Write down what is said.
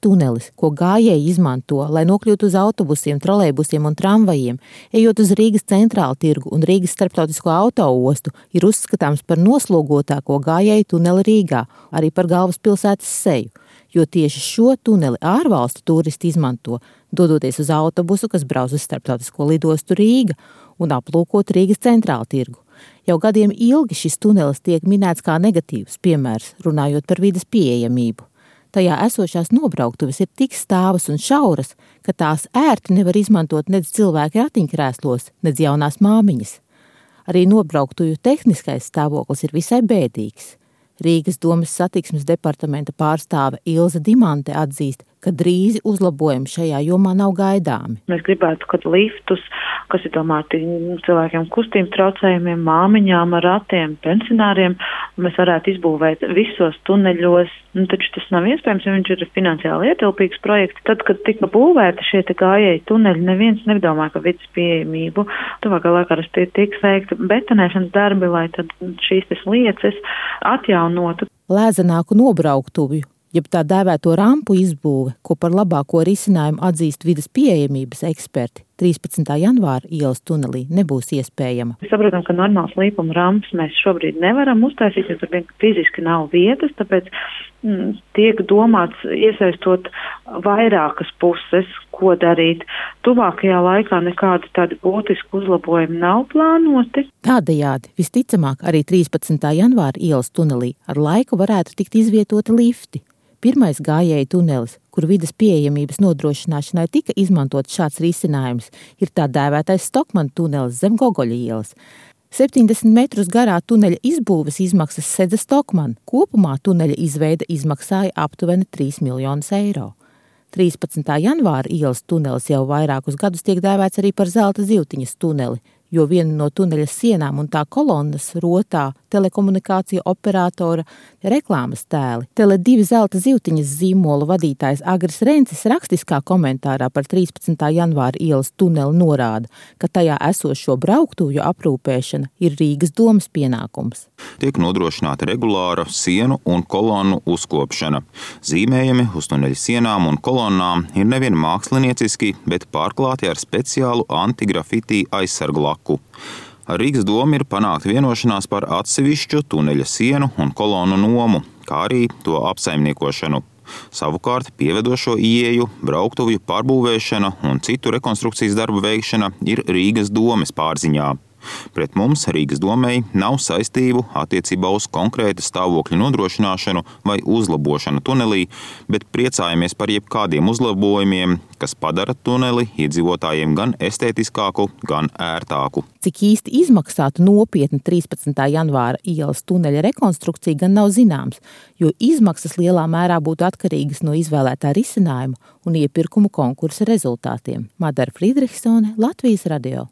tunelis, ko gājēji izmanto, lai nokļūtu uz autobusiem, trolejbusiem un tramvajiem, ejot uz Rīgas centrālu tirgu un Rīgas starptautisko autoostu, ir uzskatāms par noslogotāko gājēju tuneli Rīgā, arī par galvaspilsētas seju, jo tieši šo tuneli ārvalstu turisti izmanto, dodoties uz autobusu, kas brauc uz starptautisko lidostu Rīga un aplūkot Rīgas centrālu tirgu. Jau gadiem ilgi šis tunelis tiek minēts kā negatīvs piemērs, runājot par vides pieejamību. Tajā esošās nobrauktuves ir tik stāvas un šauras, ka tās ērti nevar izmantot nedz cilvēki ratiņkrēslos, nedz jaunās māmiņas. Arī nobrauktuju tehniskais stāvoklis ir visai bēdīgs. Rīgas domes satiksmes departamenta pārstāve Ilze Dimante atzīst, ka drīzi uzlabojumi šajā jomā nav gaidāmi. Mēs gribētu, ka liftus, kas ir domāti cilvēkiem kustības traucējumiem, māmiņām ar ratiem, pensionāriem, mēs varētu izbūvēt visos tuneļos. Taču tas nav iespējams, jo viņš ir finansiāli ietilpīgs projekts. Tad, kad tika būvēti šie gājēji tuneļi, neviens nedomāja, ka vidas pieejamību tuvākā laikā tiks veikta betonēšanas darbi, lai tad šīs lietas atjaunotu. Lēzenāku nobrauktuvju, jeb tā dēvēto rampu izbūve, ko par labāko risinājumu atzīst vidas pieejamības eksperti, 13. janvāra ielas tunelī nebūs iespējama. Mēs saprotam, ka normāls līpuma rampas mēs šobrīd nevaram uztaisīt, jo tur fiziski nav vietas, tāpēc tiek domāts iesaistot vairākas puses, ko darīt. Tuvākajā laikā nekādi tādi būtiski uzlabojumi nav plānoti. Tādējādi, visticamāk, arī 13. janvāra ielas tunelī ar laiku varētu tikt izvietoti lifti. Pirmais gājēju tunelis, kur vides pieejamības nodrošināšanai tika izmantots šāds risinājums, ir tā dēvētais Stokmana tunelis zem Gogoļa ielas. 70 metrus garā tuneļa izbūves izmaksas sedza Stokmana. Kopumā tuneļa izveide izmaksāja aptuveni 3 miljonus eiro. 13. janvāra ielas tunelis jau vairākus gadus tiek dēvēts arī par zelta zivtiņas tuneli, jo viena no tuneļa sienām un tā kolonnas rotā telekomunikāciju operatora reklāmas tēli. Tele2 zelta zivtiņas zīmola vadītājs Agris Rencis rakstiskā komentārā par 13. janvāra ielas tuneli norāda, ka tajā esošo brauktuvju aprūpēšana ir Rīgas domes pienākums. Tiek nodrošināta regulāra sienu un kolonnu uzkopšana. Zīmējumi uz tuneļa sienām un kolonnām ir nevien mākslinieciski, bet pārklāti ar speciālu antigrafitī aizsargu laku. Ar Rīgas domu ir panākta vienošanās par atsevišķu tuneļa sienu un kolonu nomu, kā arī to apsaimniekošanu. Savukārt pievedošo ieeju, brauktuvju pārbūvēšana un citu rekonstrukcijas darbu veikšana ir Rīgas domes pārziņā. Pret mums Rīgas domei nav saistību attiecībā uz konkrēta stāvokļa nodrošināšanu vai uzlabošanu tunelī, bet priecājamies par jebkādiem uzlabojumiem, kas padara tuneli iedzīvotājiem gan estētiskāku, gan ērtāku. Cik īsti izmaksātu nopietna 13. janvāra ielas tuneļa rekonstrukcija gan nav zināms, jo izmaksas lielā mērā būtu atkarīgas no izvēlētā risinājuma un iepirkumu konkursa rezultātiem. Madara Friedrichsone, Latvijas radio.